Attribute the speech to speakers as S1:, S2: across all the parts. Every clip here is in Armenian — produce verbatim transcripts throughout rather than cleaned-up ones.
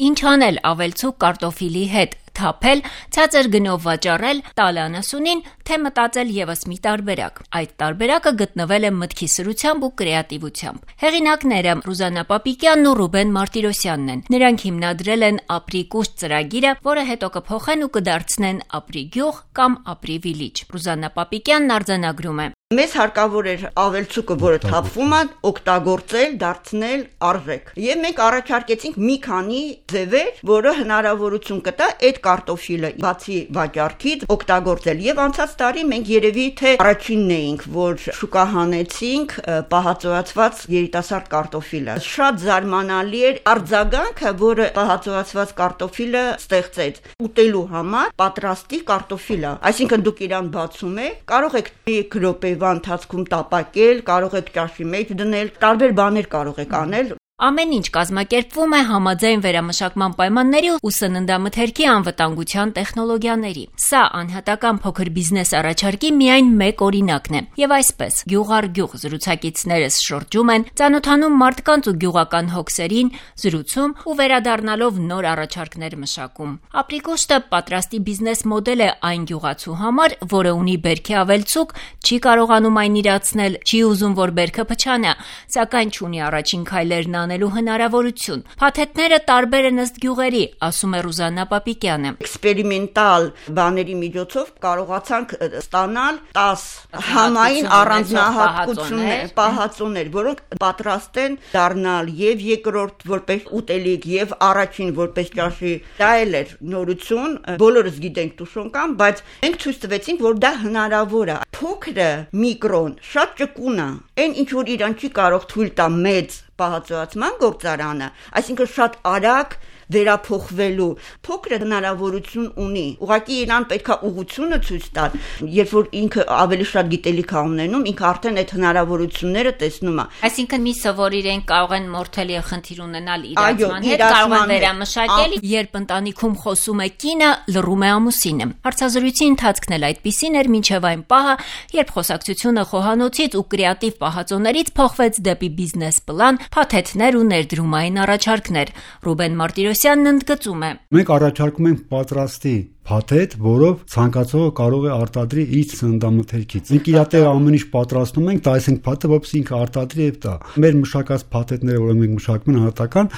S1: Ինչ անել ավելցուկ կարտոֆիլի հետ, թափել, ցածր գնով վաճառել, տալ անասունին, թե մտածել ևս մի տարբերակ։ Այդ տարբերակը գտնվել է մտքի սրությամբ ու կրեատիվությամբ։ Հեղինակները Ռուզաննա Պապիկյանն ու Ռուբեն Մարտիրոսյանն են։ Նրանք հիմնադրել են Ապրի կուշտ ծրագիրը, որը հետո կփոխեն ու կդարձնեն Ապրի գյուղ կամ Ապրի վիլիջ։ Ռուզաննա Պապիկյանն արձանագրում է.
S2: Մեզ հարկավոր էր ավելցուկը, որը թափվում է, օգտագործել, դարձնել արժեք։ Եվ մենք առաջարկեցինք մի քանի ձևեր, որը հնարավորություն կտա այդ կարտոֆիլը բացի վաճառքից օգտագործել։ Եվ անցած տարի մենք երևի թե առաջինն էինք, որ շուկա հանեցինք պահածոյացված երիտասարդ կարտոֆիլը։ Շատ զարմանալի էր արձագանքը, որը պահածոյացված կարտոֆիլը ստեղծեց ուտելու համար պատրաստի կարտոֆիլը։ Այսինքն դուք իրան բացում եք, կարող եք մեկ րոպե ընթացքում տապակել, կարող եք ճաշի մեջ դնել, տարբեր բաներ կարող եք անել։
S1: Ամեն ինչ կազմակերպվում է համաձայն վերամշակման պայմանների ու սննդամթերքի անվտանգության տեխնոլոգիաների։ Սա անհատական փոքր բիզնես առաջարկի միայն մեկ օրինակն է։ Եվ այսպես, գյուղ առ գյուղ զրուցակիցներս շրջում են, ծանոթանում մարդկանց ու գյուղական հոգսերին, զրուցում ու վերադառնալով նոր առաջարկներ մշակում։ Ապրի կուշտը պատրաստի բիզնես մոդել է այն գյուղացու համար, որը ունի բերքի ավելցուկ, չի կարողանում այն իրացնել, չի ուզում, որ բերքը փչանա, սակայն չունի առաջին քայլերն անելու հնարավորություն։ Փաթեթները տարբեր են ըստ գյուղերի, ասում է Ռուզաննա Պապիկյանը։
S2: Էքսպերիմենտալ բաների միջոցով կարողացանք ստանալ տաս համային առանձնահատկություններ, պահածոներ, որոնք պատրաստ են դառնալ եւ երկրորդ որպես ուտելիք եւ առաջին որպես ճաշի։ Դա էլ էր նորություն, բոլորս գիտենք տուշոնկան, բայց մենք ցույց տվեցինք, որ դա հնարավոր է։ Փոքրը միկրոն շատ ճկուն է, այն ինչ որ իրան չի կարող թույլ տա մեծ պահածոյացման գործարանը, այսինքն շատ արագ վերափոխվելու փոքրը հնարավորություն ունի։ Ուղղակի իրան պետքա ուղղությունը ցույց տալ, երբ որ ինքը ավելի շատ գիտելիք է ունենում, ինքը արդեն այդ հնարավորությունները տեսնում է։
S1: Այսինքն մի սովոր իրեն կարող են մորթել եւ խնդիր ունենալ իրացման հետ, կարող են վերամշակել, երբ ընտանիքում խոսում է կինը, լռում է ամուսինը։ Հարցազրույցի ընթացքն էլ այդպիսին էր մինչև այն պահը, երբ խոսակցությունը խոհանոցից ու կրեատիվ պահածոներից փոխվեց դեպի բիզնես պլան, փաթեթներ ու ներդրումային առաջարկներ։ Ռուբեն Մարտիրոսյանն ընդգծում է.
S3: Մենք առաջարկում ենք պատրաստի փաթեթ, որով ցանկացողը կարող է արտադրի իր սննդամթերքից։ Մենք իր տեղ ամեն ինչ պատրաստում ենք, դա այսինքն փաթեթը, որպես ինքը արտադրի եւ տա։ Մեր մշակած փաթեթները, որոնք մենք մշակում ենք անհատական,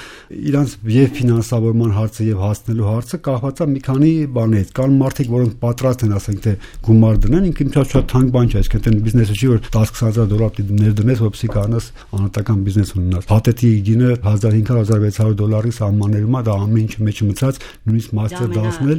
S3: իրանց եւ ֆինանսավորման հարցը եւ հասնելու հարցը կախված է մի քանի բաներից։ Կան մարդիկ, որոնք պատրաստ են, ասենք թե գումար դնեն, ինքը ինչ շատ թանկ բան չէ, այսինքն այն բիզնեսը չի, որ դесять հազար դոլար ներդնես, որպեսզի կարողանաս անհատական բիզնես ունենալ։ Փաթեթի գինը հազար հինգ հարյուր - հազար վեց հարյուր դոլարի սահմաններում է, դա ամեն ինչ մեջ մցած, նույնիսկ մաստեր դասնել,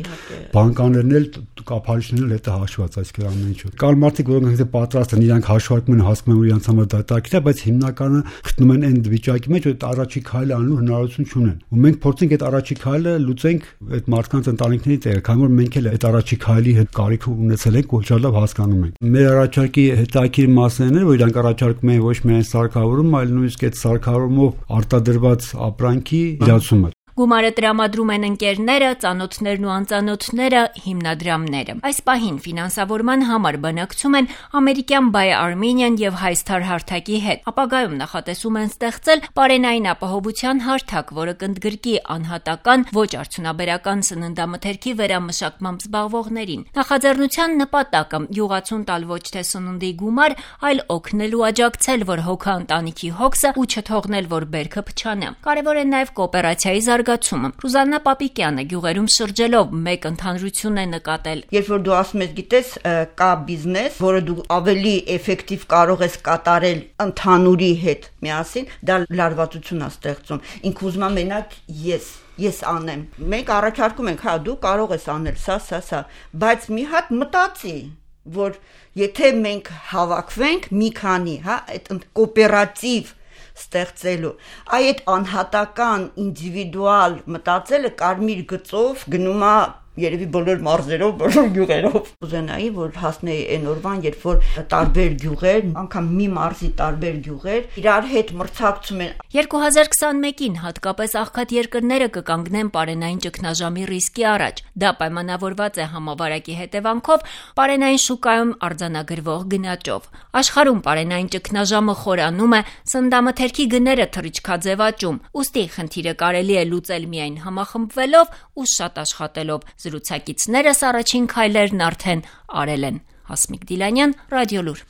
S3: բանկաներն էլ կապարիչներն էլ հետը հաշված, այսինքն ամեն ինչ։ Կան մարդիկ, որոնք ինքնին պատրաստ են, իրանք հաշվարկում են, հասկանում են իրանք համար դա տակիտ է, բայց հիմնականը գտնում են այն վիճակի մեջ, որ առաջի քայլը անելու հնարավորություն չունեն։ Ու մենք փորձենք այդ առաջի քայլը լուծենք այդ մարդկանց ընտանիքների տեղ, քանի որ մենք էլ այդ առաջի քայլի հետ կարիք ունեցել ենք ու շատ լավ հասկանում ենք։ Մեր առաջարկի հետաքրքիր մասն է, որ իրանք առաջարկում են ոչ միայն սարքավորում, այլ նույնիսկ այդ սարքավորումով արտադրված ապրանքի իրացումը։
S1: Գումարը տրամադրում են ընկերները, ծանոթներն ու անծանոթները, հիմնադրամները։ Այս պահին ֆինանսավորման համար բանակցում են ամերիկյան Buy Armenian եւ Highstar հարթակի հետ։ Ապագայում նախատեսում են ստեղծել պարենային ապահովության հարթակ, որը կընդգրկի անհատական, ոչ արդյունաբերական սննդամթերքի վերամշակմամբ զբաղվողներին։ Նախաձեռնության նպատակը յուղացուն տալ ոչ թե սննդի գումար, այլ օգնել ու աջակցել, որ հոգա ընտանիքի հոգսը ու չթողնել, որ բերքը փչանա։ Կարևոր է նաեւ կոոպերացիայի զարգացումը։ Ռուզաննա Պապիկյանը գյուղերում շրջելով մեկ ընդհանրություն է նկատել.
S2: Երբ որ դու ասում ես, գիտես, կա բիզնես, որը դու ավելի էֆեկտիվ կարող ես կատարել ընդհանուրի հետ միասին, դա լարվածություն է ստեղծում։ Ինքը ուզում է մենակ ես ես անեմ։ Մենք առաջարկում ենք, հա, դու կարող ես անել սա, սա, սա, բայց մի հատ մտածի, որ եթե մենք հավաքվենք մի քանի, հա, այդ կոոպերատիվ ստեղծելու, այդ անհատական ինդիվիդուալ մտածելը կարմիր գծով գնում է երևի բոլոր մարզերով, բոլոր գյուղերով։ Կուզենայի, որ հասնեի այն օրվան, երբ որ տարբեր գյուղեր, անգամ մի մարզի տարբեր գյուղեր իրար հետ մրցակցում են։
S1: երկու հազար քսանմեկին հատկապես աղքատ երկրները կկանգնեն պարենային ճգնաժամի ռիսկի առաջ։ Դա պայմանավորված է համավարակի հետևանքով պարենային շուկայում արձանագրվող գնաճով։ Աշխարհում պարենային ճգնաժամը խորանում է, սննդամթերքի գները թռիչքաձև աճում, ուստի խնդիրը կարելի է լուծել միայն համախմբվելով ու շատ աշխատելով։ Զրուցակիցներս առաջին քայլերն արդեն արել են։ Հասմիկ Դիլանյան, Ռադիոլուր։